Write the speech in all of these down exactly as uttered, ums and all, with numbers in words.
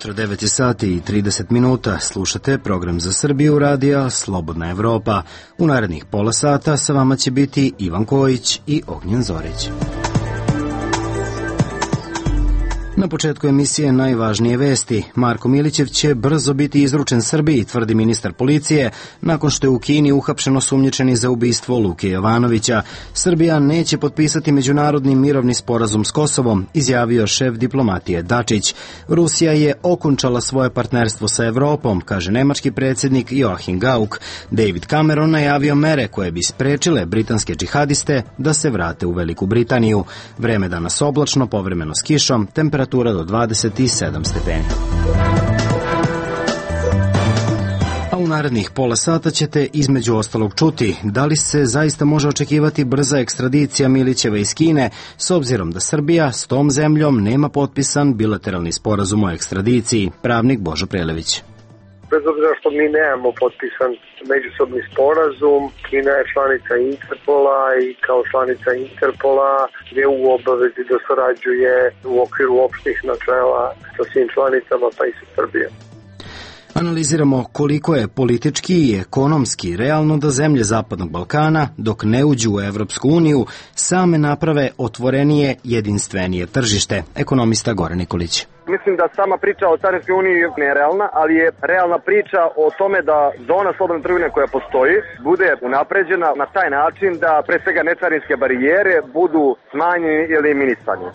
jutro, devet sati i trideset minuta. Slušate program za Srbiju radija Slobodna Evropa. U narednih pola sata sa vama će biti Ivan Kojić i Ognjen Zorić. Na početku emisije najvažnije vesti. Marko Milićev će brzo biti izručen Srbiji, tvrdi ministar policije, nakon što je u Kini uhapšen osumnjičeni za ubistvo Luke Jovanovića. Srbija neće potpisati međunarodni mirovni sporazum s Kosovom, izjavio šef diplomatije Dačić. Rusija je okončala svoje partnerstvo sa Evropom, kaže nemački predsjednik Joachim Gauck. David Cameron najavio mere koje bi sprečile britanske džihadiste da se vrate u Veliku Britaniju. Vreme danas oblačno, povremeno s kišom, temperatura do dvadeset sedam stepeni. A u narednih pola sata ćete između ostalog čuti da li se zaista može očekivati brza ekstradicija Milićeva iz Kine, s obzirom da Srbija s tom zemljom nema potpisan bilateralni sporazum o ekstradiciji. Pravnik Božo Prelević. Bez obzira što mi nemamo potpisan međusobni sporazum, Kina je članica Interpola i kao članica Interpola je u obavezi da surađuje u okviru opštih načela sa svim članicama, pa i sa Srbijom. Analiziramo koliko je politički i ekonomski realno da zemlje Zapadnog Balkana, dok ne uđu u Evropsku uniju, same naprave otvorenije, jedinstvenije tržište. Ekonomista Goran Nikolić. Mislim da sama priča o Carinskoj uniji je realna, ali je realna priča o tome da zona slobodne trgovine koja postoji bude unapređena na taj način da pre svega necarinske barijere budu smanjene ili eliminisane.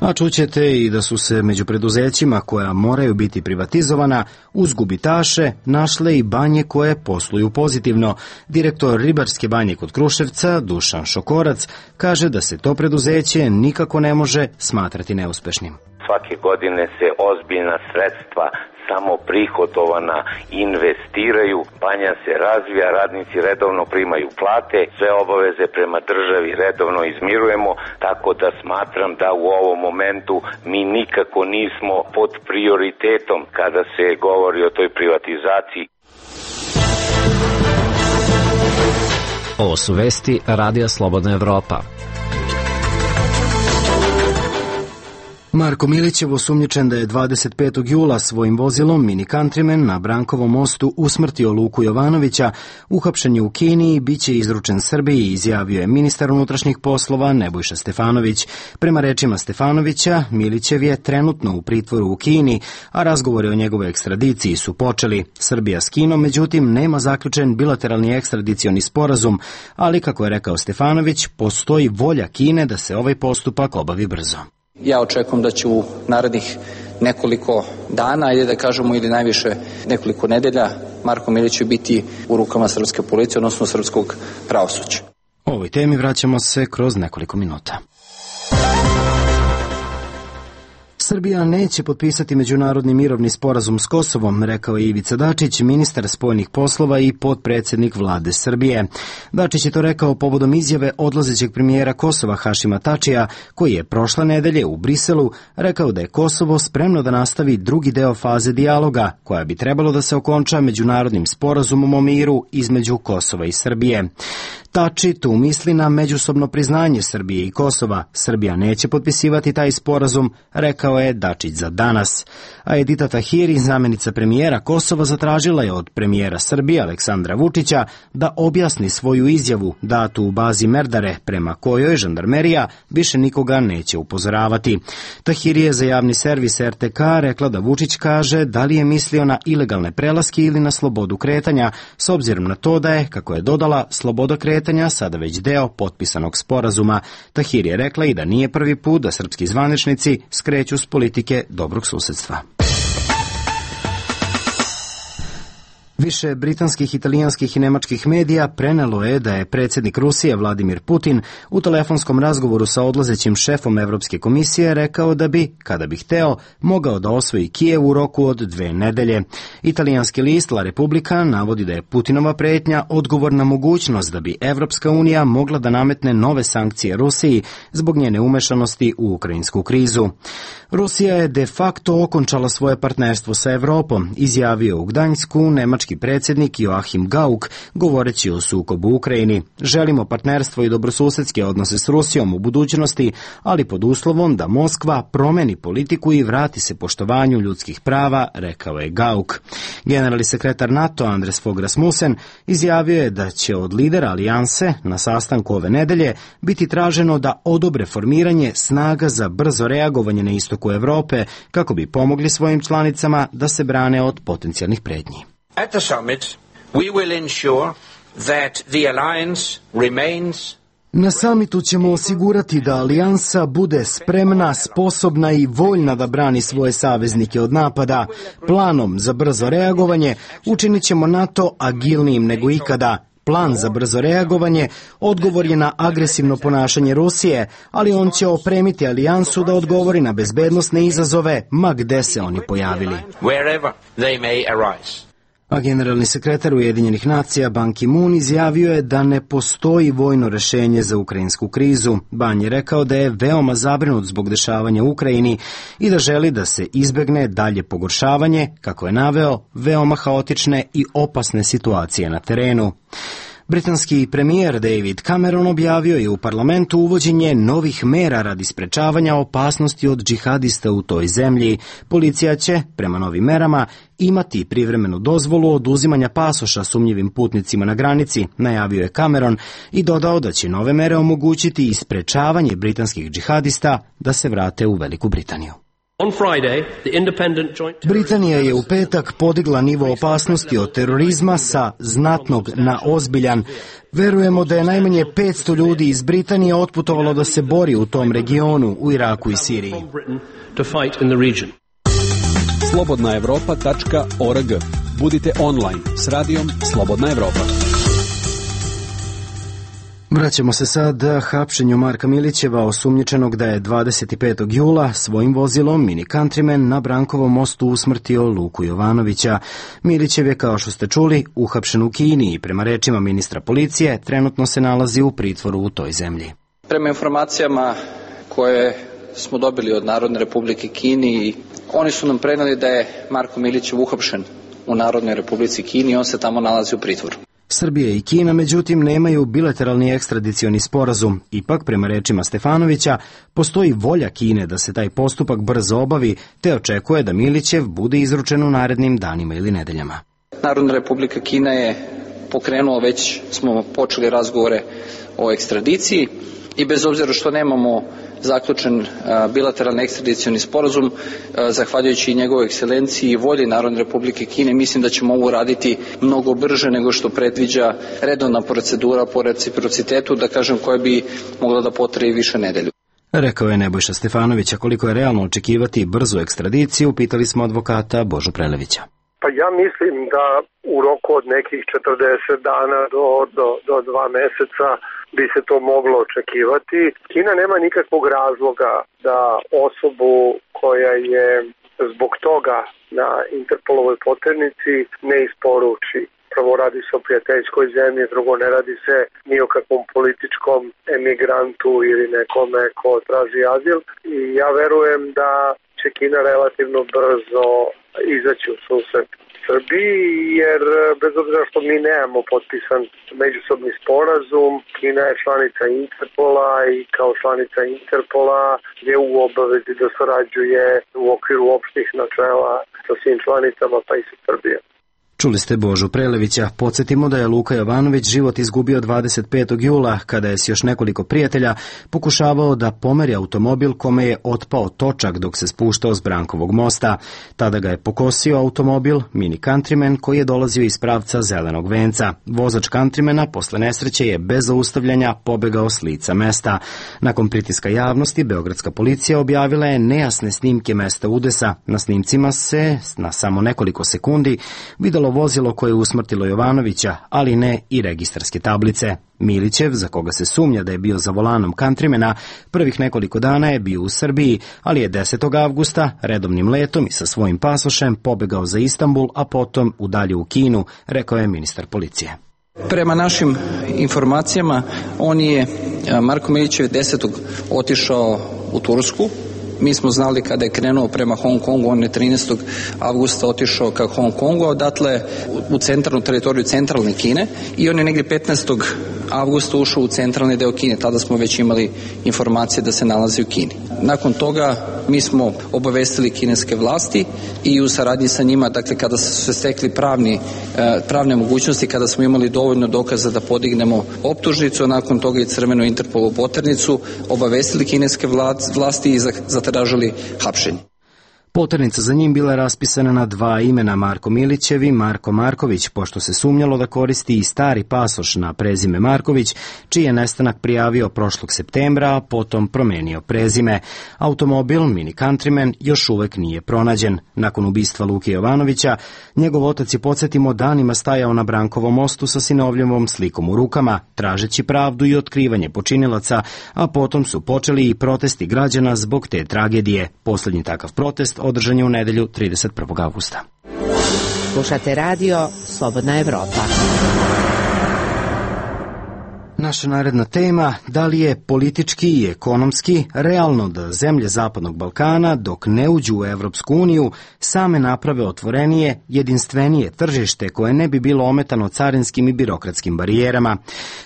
A čućete i da su se među preduzećima koja moraju biti privatizovana uz gubitaše našle i banje koje posluju pozitivno. Direktor Ribarske banje kod Kruševca, Dušan Šokorac, kaže da se to preduzeće nikako ne može smatrati neuspešnim. Svake godine se ozbiljna sredstva samo prihodovana investiraju, banja se razvija, radnici redovno primaju plate, sve obaveze prema državi redovno izmirujemo, tako da smatram da u ovom momentu mi nikako nismo pod prioritetom kada se govori o toj privatizaciji. Ovo su vesti Radija Slobodna Evropa. Marko Milićev osumnjičen da je dvadeset petog jula svojim vozilom Mini Countryman na Brankovom mostu usmrtio Luku Jovanovića, uhapšen je u Kini i bit će izručen Srbiji, izjavio je ministar unutrašnjih poslova Nebojša Stefanović. Prema rečima Stefanovića, Milićev je trenutno u pritvoru u Kini, a razgovori o njegovoj ekstradiciji su počeli. Srbija s Kinom, međutim, nema zaključen bilateralni ekstradicioni sporazum, ali, kako je rekao Stefanović, postoji volja Kine da se ovaj postupak obavi brzo. Ja očekujem da će u narednih nekoliko dana, ajde da kažemo ili najviše nekoliko nedelja, Marko Milić biti u rukama srpske policije, odnosno srpskog pravosuđa. O ovoj temi vraćamo se kroz nekoliko minuta. Srbija neće potpisati međunarodni mirovni sporazum s Kosovom, rekao je Ivica Dačić, ministar spoljnih poslova i potpredsjednik vlade Srbije. Dačić je to rekao povodom izjave odlazećeg premijera Kosova Hašima Tačija, koji je prošle nedelje u Briselu rekao da je Kosovo spremno da nastavi drugi deo faze dijaloga, koja bi trebalo da se okonča međunarodnim sporazumom o miru između Kosova i Srbije. Tači tu misli na međusobno priznanje Srbije i Kosova. Srbija neće potpisivati taj sporazum, rekao je Dačić za Danas. A Edita Tahiri, zamjenica premijera Kosova, zatražila je od premijera Srbije Aleksandra Vučića da objasni svoju izjavu datu u bazi Merdare, prema kojoj žandarmerija više nikoga neće upozoravati. Tahiri je za javni servis er te ka rekla da Vučić kaže da li je mislio na ilegalne prelaske ili na slobodu kretanja, s obzirom na to da je, kako je dodala, sloboda kretanja sada već deo potpisanog sporazuma. Tahiri je rekla i da nije prvi put da srpski zvaničnici skreću s politike dobrog susedstva. Više britanskih, italijanskih i nemačkih medija prenelo je da je predsjednik Rusije Vladimir Putin u telefonskom razgovoru sa odlazećim šefom Evropske komisije rekao da bi, kada bi hteo, mogao da osvoji Kijev u roku od dve nedelje. Italijanski list La Repubblica navodi da je Putinova pretnja odgovor na mogućnost da bi Evropska unija mogla da nametne nove sankcije Rusiji zbog njene umešanosti u ukrajinsku krizu. Rusija je de facto okončala svoje partnerstvo sa Evropom, izjavio u Gdanjsku nemački ruski predsjednik Joachim Gauck, govoreći o sukobu u Ukrajini. Želimo partnerstvo i dobrosusedske odnose s Rusijom u budućnosti, ali pod uslovom da Moskva promeni politiku i vrati se poštovanju ljudskih prava, rekao je Gauck. Generalni sekretar NATO Anders Fogh Rasmussen izjavio je da će od lidera alijanse na sastanku ove nedelje biti traženo da odobre formiranje snaga za brzo reagovanje na istoku Evrope kako bi pomogli svojim članicama da se brane od potencijalnih pretnji. At the summit, we will ensure that the alliance remains. Na samitu ćemo osigurati da alijansa bude spremna, sposobna i voljna da brani svoje saveznike od napada. Planom za brzo reagovanje učinit ćemo NATO agilnijim nego ikada. Plan za brzo reagovanje odgovor je na agresivno ponašanje Rusije, ali on će opremiti alijansu da odgovori na bezbednosne izazove, ma gde se oni pojavili. A generalni sekretar Ujedinjenih nacija Ban Ki-moon izjavio je da ne postoji vojno rešenje za ukrajinsku krizu. Ban je rekao da je veoma zabrinut zbog dešavanja u Ukrajini i da želi da se izbegne dalje pogoršavanje, kako je naveo, veoma haotične i opasne situacije na terenu. Britanski premijer David Cameron objavio je u parlamentu uvođenje novih mera radi sprečavanja opasnosti od džihadista u toj zemlji. Policija će, prema novim merama, imati privremenu dozvolu oduzimanja pasoša sumnjivim putnicima na granici, najavio je Cameron i dodao da će nove mere omogućiti i sprečavanje britanskih džihadista da se vrate u Veliku Britaniju. Britanija je u petak podigla nivo opasnosti od terorizma sa znatnog na ozbiljan. Verujemo da je najmanje petsto ljudi iz Britanije otputovalo da se bori u tom regionu, u Iraku i Siriji. slobodna evropa tačka org. Budite online s radijom Slobodna Evropa. Vraćamo se sad hapšenju Marka Milićeva, osumnjičenog da je dvadeset petog jula svojim vozilom Mini Countryman na Brankovom mostu usmrtio Luku Jovanovića. Milićev je, kao što ste čuli, uhapšen u Kini i prema rečima ministra policije trenutno se nalazi u pritvoru u toj zemlji. Prema informacijama koje smo dobili od Narodne Republike Kini, oni su nam preneli da je Marko Milićev uhapšen u Narodnoj Republici Kini i on se tamo nalazi u pritvoru. Srbija i Kina, međutim, nemaju bilateralni ekstradicioni sporazum. Ipak, prema rečima Stefanovića, postoji volja Kine da se taj postupak brzo obavi, te očekuje da Milićev bude izručen u narednim danima ili nedeljama. Narodna Republika Kina je pokrenula, već smo počeli razgovore o ekstradiciji i bez obzira što nemamo zaključen bilateralni ekstradicioni sporazum, zahvaljujući i njegovoj ekscelenciji i volji Narodne Republike Kine, mislim da ćemo ovo raditi mnogo brže nego što predviđa redovna procedura po reciprocitetu, da kažem, koja bi mogla da potraje više nedelju. Rekao je Nebojša Stefanović, a koliko je realno očekivati brzu ekstradiciju, pitali smo advokata Božu Prelevića. Pa ja mislim da u roku od nekih četrdeset dana do, do, do dva meseca bi se to moglo očekivati. Kina nema nikakvog razloga da osobu koja je zbog toga na Interpolovoj poternici ne isporuči. Prvo, radi se o prijateljskoj zemlji, drugo, ne radi se ni o kakvom političkom emigrantu ili nekome ko traži azil. I ja verujem da će Kina relativno brzo izaći u susret Srbiji, jer bez obzira što mi nemamo potpisan međusobni sporazum, Kina je članica Interpola i kao članica Interpola je u obavezi da surađuje u okviru opštih načela sa svim članicama, pa i sa Srbijom. Čuli ste Božu Prelevića. Podsjetimo da je Luka Jovanović život izgubio dvadeset petog jula, kada je s još nekoliko prijatelja pokušavao da pomeri automobil kome je otpao točak dok se spuštao s Brankovog mosta. Tada ga je pokosio automobil Mini Countryman koji je dolazio iz pravca Zelenog venca. Vozač Countrymana posle nesreće je bez zaustavljanja pobegao s lica mesta. Nakon pritiska javnosti, beogradska policija objavila je nejasne snimke mesta udesa. Na snimcima se na samo nekoliko sekundi videlo vozilo koje je usmrtilo Jovanovića, ali ne i registarske tablice. Milićev, za koga se sumnja da je bio za volanom Countrymana, prvih nekoliko dana je bio u Srbiji, ali je desetog avgusta redovnim letom i sa svojim pasošem pobegao za Istanbul, a potom u dalje u Kinu, rekao je ministar policije. Prema našim informacijama, on je, Marko Milićev, desetog otišao u Tursku, Mi smo znali kada je krenuo prema Hong Kongu, on je trinaestog avgusta otišao ka Hong Kongu, odatle u centralnu teritoriju centralne Kine i on je negdje petnaestog avgusta ušao u centralni deo Kine. Tada smo već imali informacije da se nalazi u Kini. Nakon toga mi smo obavestili kineske vlasti i u saradnji sa njima, dakle kada su se stekli pravni, pravne mogućnosti, kada smo imali dovoljno dokaza da podignemo optužnicu, a nakon toga i crvenu Interpolu poternicu, obavestili kineske vlasti i zatražili hapšenje. Poternica za njim bila je raspisana na dva imena, Marko Milićev i Marko Marković, pošto se sumnjalo da koristi i stari pasoš na prezime Marković, čiji je nestanak prijavio prošlog septembra, a potom promenio prezime. Automobil Mini Countryman još uvek nije pronađen. Nakon ubistva Luke Jovanovića, njegov otac je, podsjetimo, danima stajao na Brankovom mostu sa sinovljevom slikom u rukama, tražeći pravdu i otkrivanje počinilaca, a potom su počeli i protesti građana zbog te tragedije. Poslednji takav protest održan je u nedelju trideset prvog avgusta. Slušate radio Slobodna Evropa. Naša naredna tema, da li je politički i ekonomski realno da zemlje Zapadnog Balkana, dok ne uđu u Evropsku uniju, same naprave otvorenije, jedinstvenije tržište koje ne bi bilo ometano carinskim i birokratskim barijerama.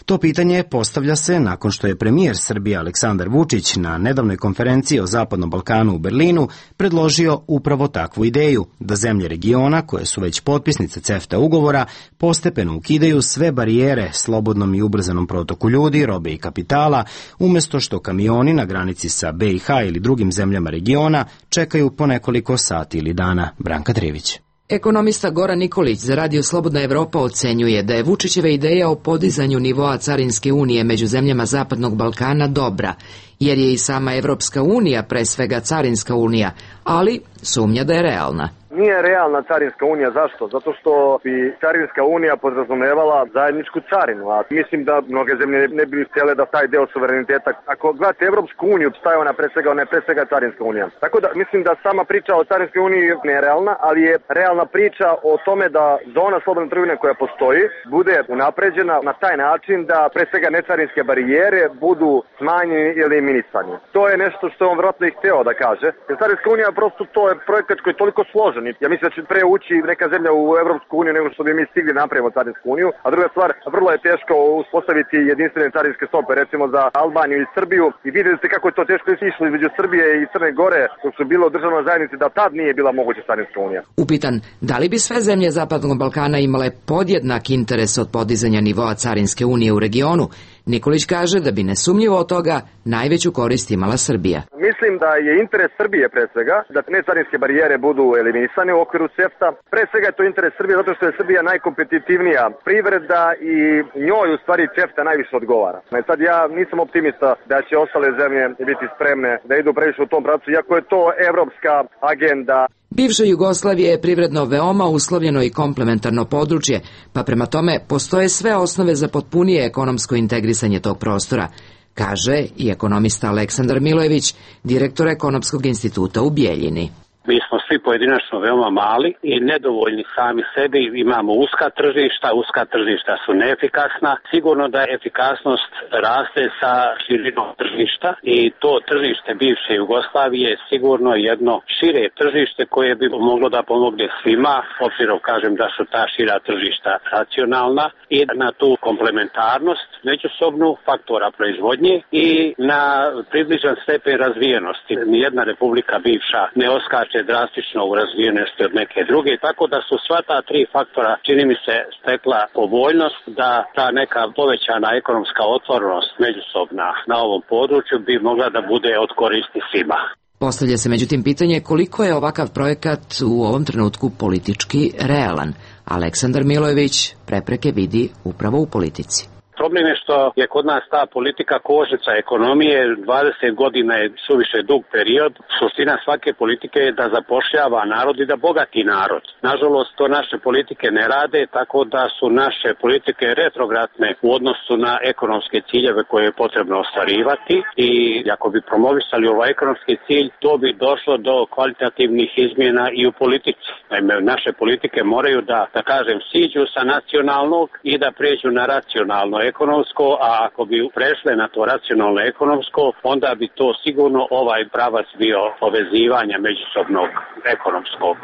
To pitanje postavlja se nakon što je premijer Srbije Aleksandar Vučić na nedavnoj konferenciji o Zapadnom Balkanu u Berlinu predložio upravo takvu ideju, da zemlje regiona, koje su već potpisnice CEFTA ugovora, postepeno ukidaju sve barijere slobodnom i ubrzanom protoku ljudi, robe i kapitala, umjesto što kamioni na granici sa B i H ili drugim zemljama regiona čekaju po nekoliko sati ili dana. Branka Trivić. Ekonomista Goran Nikolić za Radio Slobodna Evropa ocenjuje da je Vučićeva ideja o podizanju nivoa carinske unije među zemljama Zapadnog Balkana dobra, jer je i sama Evropska unija pre svega carinska unija, ali sumnja da je realna. Nije realna carinska unija, zašto? Zato što bi carinska unija podrazumevala zajedničku carinu, a mislim da mnoge zemlje ne bi htjele da taj deo suvereniteta, ako gledate Evropsku uniju, staje ona pre svega, ona je pre svega carinska unija. Tako da mislim da sama priča o carinskoj uniji nije realna, ali je realna priča o tome da zona slobodne trgovine koja postoji bude unapređena na taj način da pre svega necarinske barijere budu smanjene ili eliminisane. To je nešto što on vjerojatno i hteo da kaže. Jer carinska unija prosto to je projekat koji je toliko složen. Ja mislim da će pre ući neka zemlja u Evropsku uniju nego što bi mi stigli napravimo carinsku uniju, a druga stvar, vrlo je teško uspostaviti jedinstvene carinske stope, recimo za Albaniju i Srbiju, i vidjeli ste kako je to teško išlo između Srbije i Crne Gore, dok su bilo u državnoj zajednici, da tad nije bila moguća carinska unija. Upitan, da li bi sve zemlje Zapadnog Balkana imale podjednak interes od podizanja nivoa carinske unije u regionu, Nikolić kaže da bi nesumnjivo od toga najveću korist imala Srbija. Mislim da je interes Srbije pre svega da necarinske barijere budu eliminisane u okviru CEFTA. Pre svega je to interes Srbije zato što je Srbija najkompetitivnija privreda i njoj u stvari CEFTA najviše odgovara. Sad ja nisam optimista da će ostale zemlje biti spremne da idu previše u tom pravcu, iako je to evropska agenda. Bivša Jugoslavija je privredno veoma uslovljeno i komplementarno područje, pa prema tome postoje sve osnove za potpunije ekonomsko integrisanje tog prostora, kaže i ekonomista Aleksandar Milojević, direktor Ekonomskog instituta u Bijeljini. Mi smo svi pojedinačno veoma mali i nedovoljni sami sebi, imamo uska tržišta, uska tržišta su neefikasna. Sigurno da efikasnost raste sa širinom tržišta i to tržište bivše Jugoslavije je sigurno jedno šire tržište koje bi moglo da pomogne svima, obzirom kažem da su ta šira tržišta racionalna, i na tu komplementarnost međusobnu faktora proizvodnje i na približan stepen razvijenosti. Nijedna republika bivša ne oskače drastično u razvijenosti od neke druge, tako da su sva ta tri faktora, čini mi se, stekla povoljnost da ta neka povećana ekonomska otvorenost međusobna na ovom području bi mogla da bude od koristi svima. Postavlja se međutim pitanje koliko je ovakav projekat u ovom trenutku politički realan. Aleksandar Milojević prepreke vidi upravo u politici. Problem je što je kod nas ta politika kočnica ekonomije, dvadeset godina je suviše dug period. Suština svake politike je da zapošljava narod i da bogati narod. Nažalost, to naše politike ne rade, tako da su naše politike retrogradne u odnosu na ekonomske ciljeve koje je potrebno ostvarivati i ako bi promovisali ovaj ekonomski cilj, to bi došlo do kvalitativnih izmjena i u politici. Naime, naše politike moraju da, da kažem, siđu sa nacionalnog i da pređu na racionalno ekonomsko, a ako bi prešle na to racionalno ekonomsko, onda bi to sigurno ovaj pravac bio povezivanja međusobnog ekonomskog.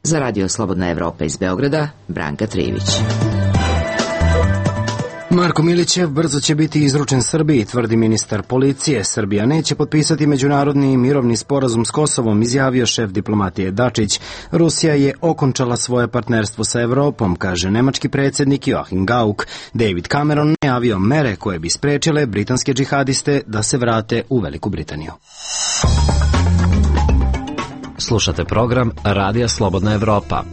Za Radio Slobodna Evropa iz Beograda, Branka Trivić. Marko Milićev brzo će biti izručen Srbiji, tvrdi ministar policije. Srbija neće potpisati međunarodni mirovni sporazum s Kosovom, izjavio šef diplomatije Dačić. Rusija je okončala svoje partnerstvo sa Evropom, kaže nemački predsjednik Joachim Gauck. David Cameron najavio mere koje bi sprečile britanske džihadiste da se vrate u Veliku Britaniju. Slušate program Radija Slobodna Evropa.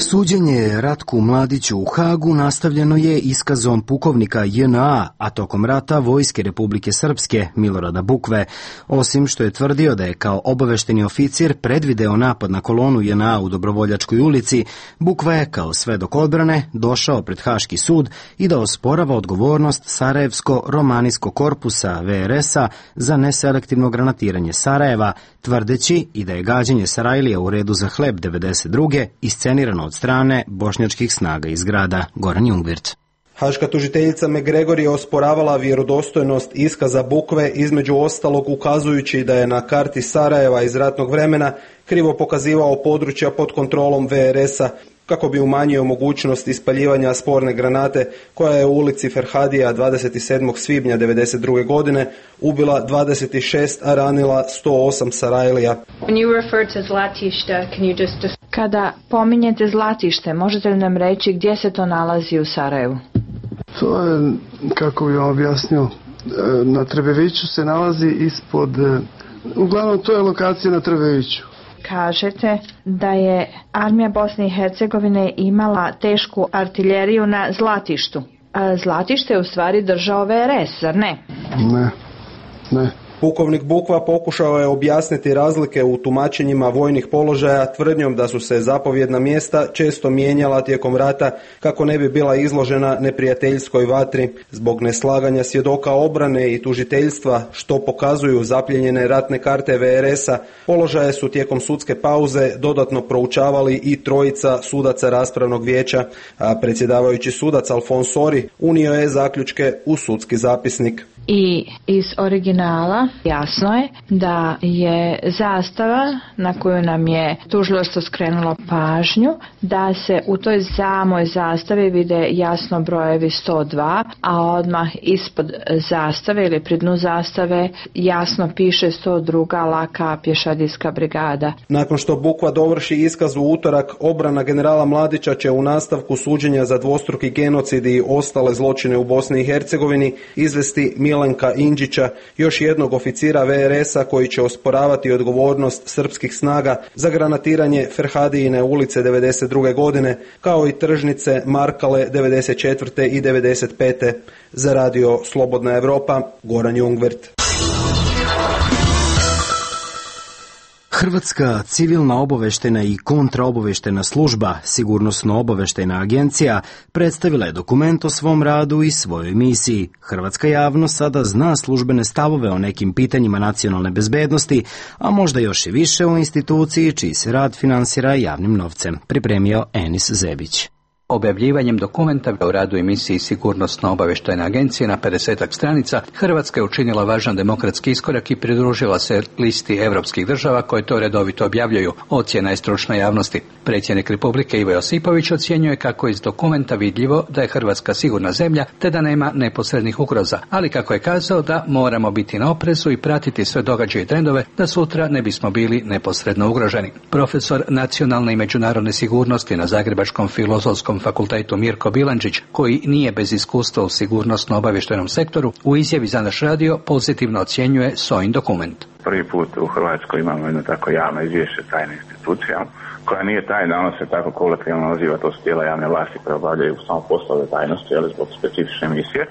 Suđenje Ratku Mladiću u Hagu nastavljeno je iskazom pukovnika J N A, a tokom rata Vojske Republike Srpske Milorada Bukve. Osim što je tvrdio da je kao obavešteni oficir predvideo napad na kolonu J N A u Dobrovoljačkoj ulici, Bukva je kao svedok odbrane došao pred Haški sud i da osporava odgovornost Sarajevsko-romanijskog korpusa V R S-a za neselektivno granatiranje Sarajeva, tvrdeći i da je gađanje Sarajlija u redu za hleb devedeset druge iscenirano od strane bošnjačkih snaga iz grada. Goran Jungvirt. Haška tužiteljica McGregor je osporavala vjerodostojnost iskaza Bukve, između ostalog ukazujući da je na karti Sarajeva iz ratnog vremena krivo pokazivao područja pod kontrolom V R S-a kako bi umanjio mogućnost ispaljivanja sporne granate koja je u ulici Ferhadija dvadeset sedmog svibnja devedeset druge godine ubila dvadeset šest, a ranila sto osam Sarajlija. Kada pominjete Zlatište, možete li nam reći gdje se to nalazi u Sarajevu? To je, kako bih vam objasnio, na Trebeviću se nalazi ispod, uglavnom to je lokacija na Trebeviću. Kažete da je armija Bosne i Hercegovine imala tešku artiljeriju na Zlatištu. A Zlatište je u stvari držao V R S, zar ne? Ne, ne. Pukovnik Bukva pokušao je objasniti razlike u tumačenjima vojnih položaja tvrdnjom da su se zapovjedna mjesta često mijenjala tijekom rata kako ne bi bila izložena neprijateljskoj vatri. Zbog neslaganja svjedoka obrane i tužiteljstva, što pokazuju zapljenjene ratne karte V R S-a, položaje su tijekom sudske pauze dodatno proučavali i trojica sudaca raspravnog vijeća, a predsjedavajući sudac Alfons Sori unio je zaključke u sudski zapisnik. I iz originala jasno je da je zastava na koju nam je tužilaštvo skrenulo pažnju, da se u toj samoj zastavi vide jasno brojevi sto dva, a odmah ispod zastave ili pri dnu zastave jasno piše sto druga laka pješadijska brigada. Nakon što Bukva dovrši iskaz u utorak, obrana generala Mladića će u nastavku suđenja za dvostruki genocid i ostale zločine u Bosni i Hercegovini izvesti Milenka Indžića, još jednog oficira V R S-a koji će osporavati odgovornost srpskih snaga za granatiranje Ferhadijine ulice devedeset druge godine, kao i tržnice Markale devedeset četvrte i devedeset pete Za Radio Slobodna Evropa, Goran Jungvirt. Hrvatska civilna obaveštena i kontraobaveštena služba, sigurnosno-obaveštena agencija, predstavila je dokument o svom radu i svojoj misiji. Hrvatska javnost sada zna službene stavove o nekim pitanjima nacionalne bezbednosti, a možda još i više o instituciji čiji se rad finansira javnim novcem, pripremio Enis Zebić. Objavljivanjem dokumenta o radu emisiji Sigurnosno-obavještajne agencije na pedesetak stranica, Hrvatska je učinila važan demokratski iskorak i pridružila se listi evropskih država koje to redovito objavljuju. Ocjena je stručna javnosti. Predsjednik Republike Ivo Josipović ocjenjuje kako je iz dokumenta vidljivo da je Hrvatska sigurna zemlja te da nema neposrednih ugroza, ali kako je kazao da moramo biti na oprezu i pratiti sve događaje i trendove da sutra ne bismo bili neposredno ugroženi. Profesor nacionalne i međunarodne sigurnosti na Zagrebačkom filozofskom fakultetu Mirko Bilandžić, koji nije bez iskustva u sigurnosno-obavještajnom sektoru, u izjavi za naš radio pozitivno ocjenjuje S O I N dokument. Prvi put u Hrvatskoj imamo jedno tako javno izvješće tajne institucije, koja nije tajna, ono se tako kolokvijalno naziva, to su tijela javne vlasti koje obavljaju samo poslove tajnosti, ali zbog specifične misije.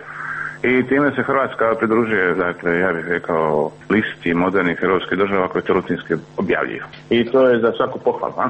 i time se Hrvatska pridružuje, dakle, ja bih rekao, listi modernih europskih država koje to rutinski objavljuju. I to je za svaku pohvalu, a?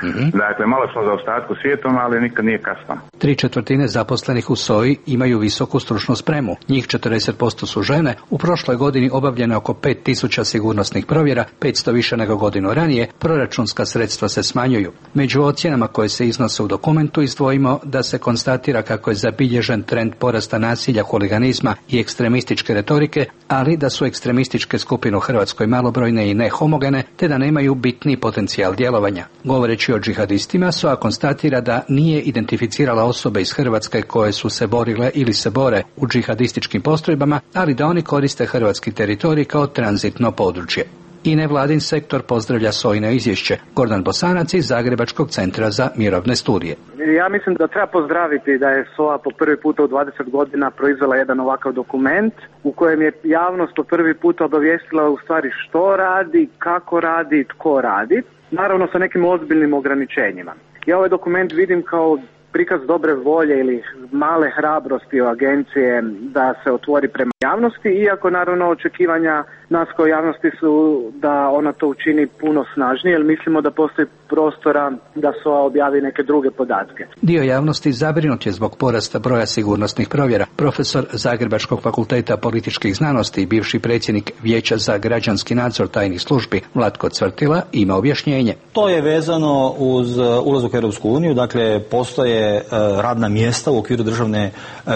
Mm-hmm. Dakle, malo smo za ostatku svijetom, ali nikad nije kasno. Tri četvrtine zaposlenih u S O I imaju visoku stručnu spremu. Njih četrdeset posto su žene. U prošloj godini obavljeno oko pet tisuća sigurnosnih provjera, petsto više nego godinu ranije. Proračunska sredstva se smanjuju. Među ocjenama koje se iznose u dokumentu izdvojimo da se konstatira kako je zabilježen trend porasta nasilja, huliganizma i ekstremističke retorike, ali da su ekstremističke skupine u Hrvatskoj malobrojne i nehomogene, te da nemaju bitni potencijal djelovanja. Govoreći o džihadistima, S O A konstatira da nije identificirala osobe iz Hrvatske koje su se borile ili se bore u džihadističkim postrojbama, ali da oni koriste hrvatski teritorij kao tranzitno područje. I nevladin sektor pozdravlja S O I-no izvješće. Gordan Bosanac iz Zagrebačkog centra za mirovne studije. Ja mislim da treba pozdraviti da je S O A po prvi puta u dvadeset godina proizvela jedan ovakav dokument u kojem je javnost po prvi puta obavijestila u stvari što radi, kako radi, tko radi. Naravno sa nekim ozbiljnim ograničenjima. Ja ovaj dokument vidim kao prikaz dobre volje ili male hrabrosti agencije da se otvori prema javnosti, iako naravno očekivanja nas kao javnosti su da ona to učini puno snažnije, jer mislimo da postoji prostora da S O A objavi neke druge podatke. Dio javnosti zabrinut je zbog porasta broja sigurnosnih provjera. Profesor Zagrebačkog fakulteta političkih znanosti i bivši predsjednik Vijeća za građanski nadzor tajnih službi Vlatko Cvrtila ima objašnjenje. To je vezano uz ulazak u Europsku uniju, dakle postoje radna mjesta u okviru državne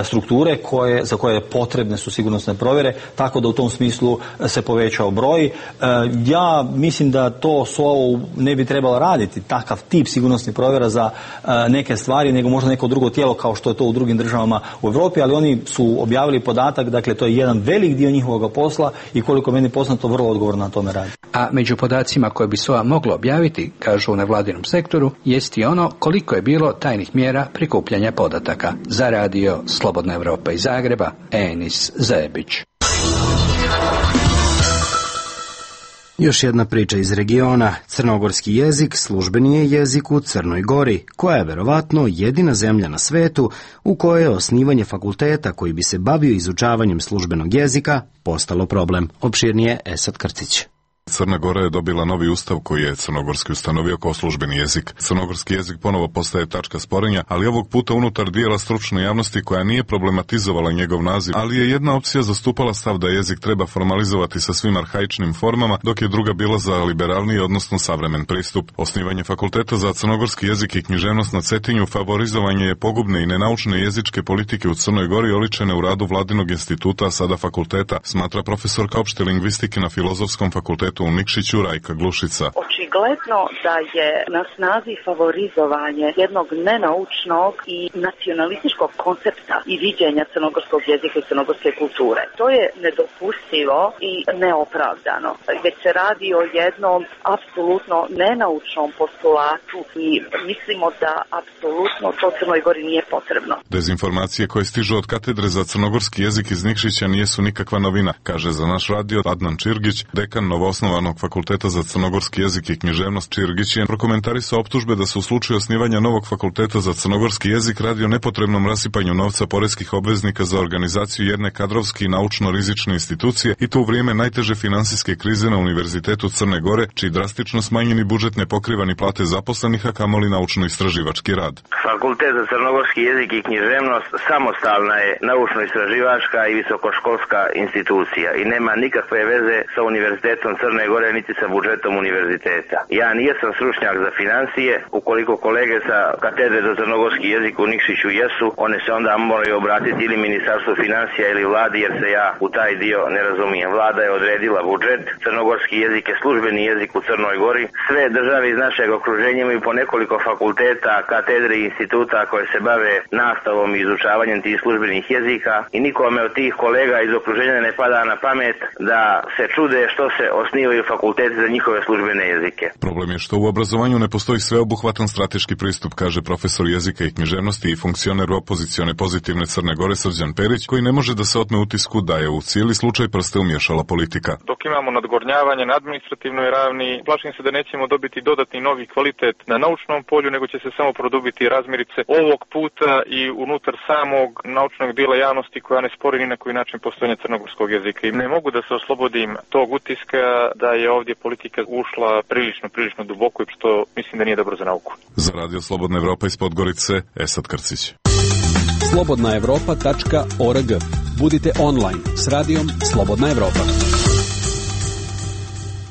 strukture koje, za koje potrebne su sigurnosne provjere, tako da u tom smislu se povećao broj. Ja mislim da to S O A ne bi trebalo raditi, takav tip sigurnosnih provjera za neke stvari, nego možda neko drugo tijelo kao što je to u drugim državama u Europi, ali oni su objavili podatak, dakle to je jedan velik dio njihovog posla i koliko meni poznato vrlo odgovorno na tome radi. A među podacima koje bi S O A moglo objaviti, kažu u nevladinom sektoru, jest i ono koliko je bilo tajnih mjera prikupljanja podataka. Za radio Slobodna Evropa iz Zagreba, Enis Zebić. Još jedna priča iz regiona. Crnogorski jezik službeni je jezik u Crnoj Gori, koja je verovatno jedina zemlja na svetu u kojoj je osnivanje fakulteta koji bi se bavio izučavanjem službenog jezika postalo problem. Opširnije Esad Krcić. Crna Gora je dobila novi ustav koji je crnogorski ustanovio kao službeni jezik. Crnogorski jezik ponovo postaje tačka sporenja, ali ovog puta unutar dijela stručne javnosti koja nije problematizovala njegov naziv, ali je jedna opcija zastupala stav da jezik treba formalizovati sa svim arhaičnim formama, dok je druga bila za liberalniji, odnosno savremen pristup. Osnivanje fakulteta za crnogorski jezik i književnost na Cetinju favorizovanje je pogubne i nenaučne jezičke politike u Crnoj Gori oličene u radu Vladinog instituta, sada fakulteta, smatra profesorka opšte lingvistike na Filozofskom fakultetu u Nikšiću Rajka Glušica. Očigledno da je na snazi favorizovanje jednog nenaučnog i nacionalističkog koncepta i viđenja crnogorskog jezika i crnogorske kulture. To je nedopustivo i neopravdano. Već se radi o jednom apsolutno nenaučnom postulatu i mislimo da apsolutno to Crnoj Gori nije potrebno. Dezinformacije koje stižu od katedre za crnogorski jezik iz Nikšića nijesu nikakva novina, kaže za naš radio Adnan Čirgić, dekan novoosnovanog fakulteta za crnogorski jezik i književnost. Čirgić je prokomentarisao optužbe da se u slučaju osnivanja novog fakulteta za crnogorski jezik radi o nepotrebnom rasipanju novca poreskih obveznika za organizaciju jedne kadrovski i naučno-rizične institucije i to u vrijeme najteže finansijske krize na Univerzitetu Crne Gore, čiji drastično smanjeni budžet ne pokriva ni plate zaposlenih, a kamoli naučno-istraživački rad. Fakultet za crnogorski jezik i književnost samostalna je naučno-istraživačka i visokoškolska institucija i nema nikakve veze sa Univerzitetom Crne Gore niti sa budžetom univerziteta. Ja nijesam stručnjak za financije, ukoliko kolege sa katedre za crnogorski jezik u Nikšiću jesu, one se onda moraju obratiti ili Ministarstvu financija ili vladi, jer se ja u taj dio ne razumijem. Vlada je odredila budžet, crnogorski jezik je službeni jezik u Crnoj Gori. Sve države iz našeg okruženja imaju po nekoliko fakulteta, katedre i instituta koje se bave nastavom i izučavanjem tih službenih jezika i nikome od tih kolega iz okruženja ne pada na pamet da se čude što se osnivaju fakulteti za njihove službene jezike. jezike. Problem je što u obrazovanju ne postoji sveobuhvatan strateški pristup, kaže profesor jezika i književnosti i funkcioner opozicione Pozitivne Crne Gore Srđan Perić, koji ne može da se otme utisku da je u cijeli slučaj prste umješala politika. Dok imamo nadgornjavanje na administrativnoj ravni, plašim se da nećemo dobiti dodatni novi kvalitet na naučnom polju, nego će se samo produbiti razmirice ovog puta i unutar samog naučnog dijela javnosti koja ne spori ni na koji način postojanje crnogorskog jezika. I ne mogu da se oslobodim tog utiska da je ovdje politika ušla prilično, prilično duboko i što mislim da nije dobro za nauku. Za Radio Slobodna Evropa iz Podgorice, Esad Krcić. slobodna evropa tačka org. Budite online s radijom Slobodna Evropa.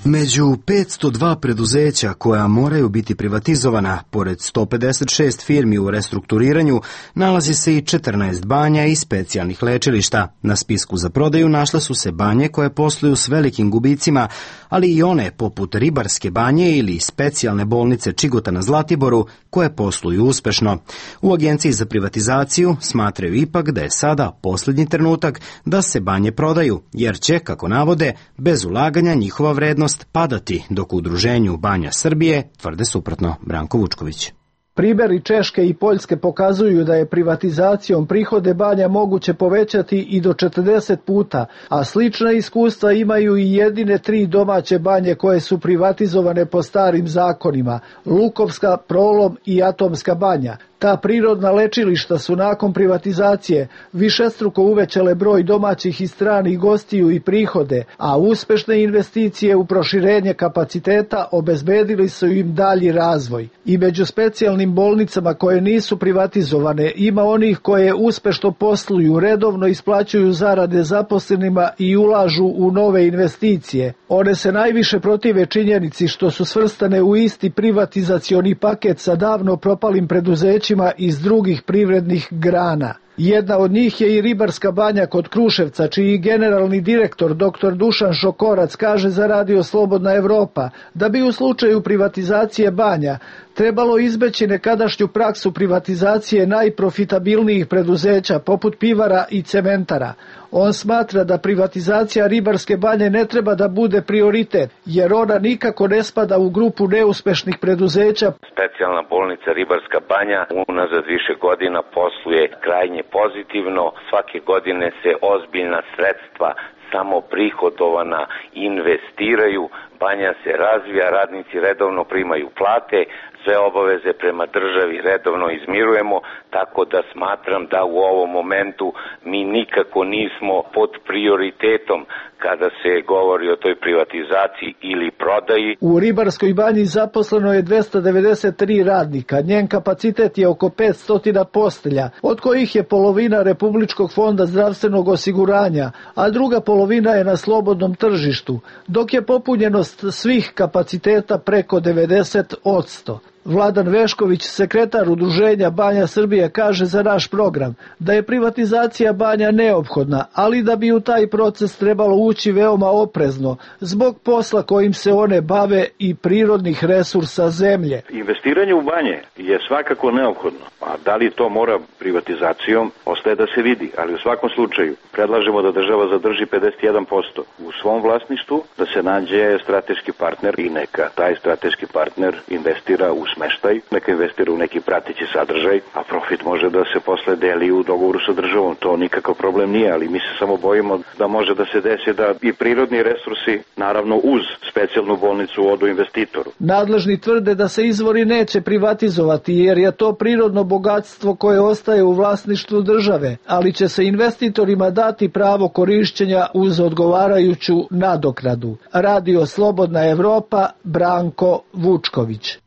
Među petsto dva preduzeća koja moraju biti privatizovana, pored sto pedeset šest firmi u restrukturiranju, nalazi se i četrnaest banja i specijalnih lečilišta. Na spisku za prodaju našle su se banje koje posluju s velikim gubicima, ali i one poput Ribarske banje ili specijalne bolnice Čigota na Zlatiboru koje posluju uspešno. U Agenciji za privatizaciju smatraju ipak da je sada posljednji trenutak da se banje prodaju, jer će, kako navode, bez ulaganja njihova vrednost padati, dok u Udruženju Banja Srbije tvrde suprotno. Branko Vučković. Primjeri Češke i Poljske pokazuju da je privatizacijom prihode banja moguće povećati i do četrdeset puta, a slična iskustva imaju i jedine tri domaće banje koje su privatizovane po starim zakonima, Lukovska, Prolom i Atomska banja. Ta prirodna lečilišta su nakon privatizacije višestruko uvećale broj domaćih i stranih gostiju i prihode, a uspešne investicije u proširenje kapaciteta obezbedili su im dalji razvoj. I među specijalnim bolnicama koje nisu privatizovane ima onih koje uspešno posluju, redovno isplaćuju zarade zaposlenima i ulažu u nove investicije. One se najviše protive činjenici što su svrstane u isti privatizacioni paket sa davno propalim preduzećima iz drugih privrednih grana. Jedna od njih je i Ribarska banja kod Kruševca, čiji generalni direktor doktor Dušan Šokorac kaže za Radio Slobodna Evropa da bi u slučaju privatizacije banja trebalo izbeći nekadašnju praksu privatizacije najprofitabilnijih preduzeća poput pivara i cementara. On smatra da privatizacija Ribarske banje ne treba da bude prioritet, jer ona nikako ne spada u grupu neuspešnih preduzeća. Specijalna bolnica Ribarska banja unazad više godina posluje krajnje pozitivno. Svake godine se ozbiljna sredstva samo prihodovana investiraju, banja se razvija, radnici redovno primaju plate, sve obaveze prema državi redovno izmirujemo, tako da smatram da u ovom momentu mi nikako nismo pod prioritetom kada se govori o toj privatizaciji ili prodaji. U Ribarskoj banji zaposleno je dvesta devedeset tri radnika, njen kapacitet je oko petsto postelja, od kojih je polovina Republičkog fonda zdravstvenog osiguranja, a druga polovina je na slobodnom tržištu, dok je popunjenost svih kapaciteta preko devedeset posto. Vladan Vešković, sekretar Udruženja Banja Srbije, kaže za naš program da je privatizacija banja neophodna, ali da bi u taj proces trebalo ući veoma oprezno zbog posla kojim se one bave i prirodnih resursa zemlje. Investiranje u banje je svakako neophodno, a da li to mora privatizacijom, ostaje da se vidi, ali u svakom slučaju predlažemo da država zadrži pedeset jedan posto u svom vlasništvu, da se nađe strateški partner i neka taj strateški partner investira u smeštaj, neka investira u neki prateći sadržaj, a profit može da se posle deli u dogovoru sa državom. To nikakav problem nije, ali mi se samo bojimo da može da se desi da i prirodni resursi, naravno uz specijalnu bolnicu, odu investitoru. Nadležni tvrde da se izvori neće privatizovati jer je to prirodno bogatstvo koje ostaje u vlasništvu države, ali će se investitorima dati pravo korišćenja uz odgovarajuću nadoknadu. Radio Slobodna Evropa, Branko Vučković.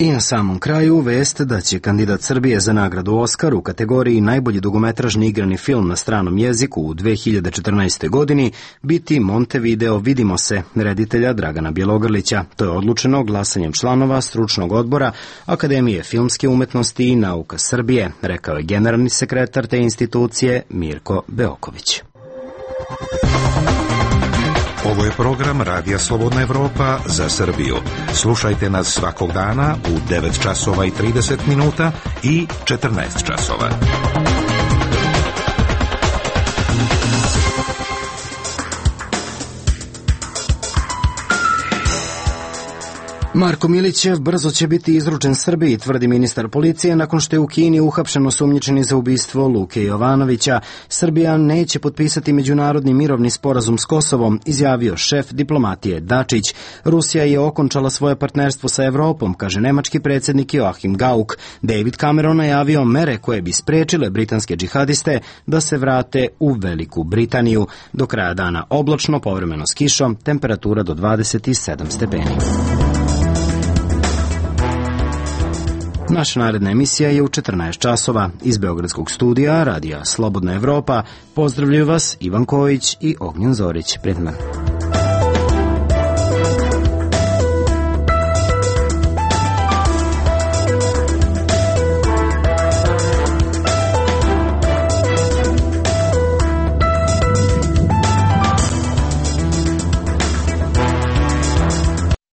I na samom kraju vest da će kandidat Srbije za nagradu Oskar u kategoriji najbolji dugometražni igrani film na stranom jeziku u dve hiljade četrnaestoj. godini biti Montevideo Vidimo se, reditelja Dragana Bjelogrlića. To je odlučeno glasanjem članova stručnog odbora Akademije filmske umetnosti i nauka Srbije, rekao je generalni sekretar te institucije Mirko Beoković. Ovo je program Radija Slobodna Evropa za Srbiju. Slušajte nas svakog dana u devet časova i trideset minuta i četrnaest časova. Marko Milićev brzo će biti izručen Srbiji, tvrdi ministar policije, nakon što je u Kini uhapšen osumnjičeni za ubistvo Luke Jovanovića. Srbija neće potpisati međunarodni mirovni sporazum s Kosovom, izjavio šef diplomatije Dačić. Rusija je okončala svoje partnerstvo sa Evropom, kaže nemački predsjednik Joachim Gauck. David Cameron najavio mere koje bi sprečile britanske džihadiste da se vrate u Veliku Britaniju. Do kraja dana oblačno, povremeno s kišom, temperatura do dvadeset sedam stepeni. Naša naredna emisija je u četrnaest časova. Iz Beogradskog studija Radija Slobodna Evropa pozdravljaju vas Ivan Kojić i Ognjen Zorić. Prijetno.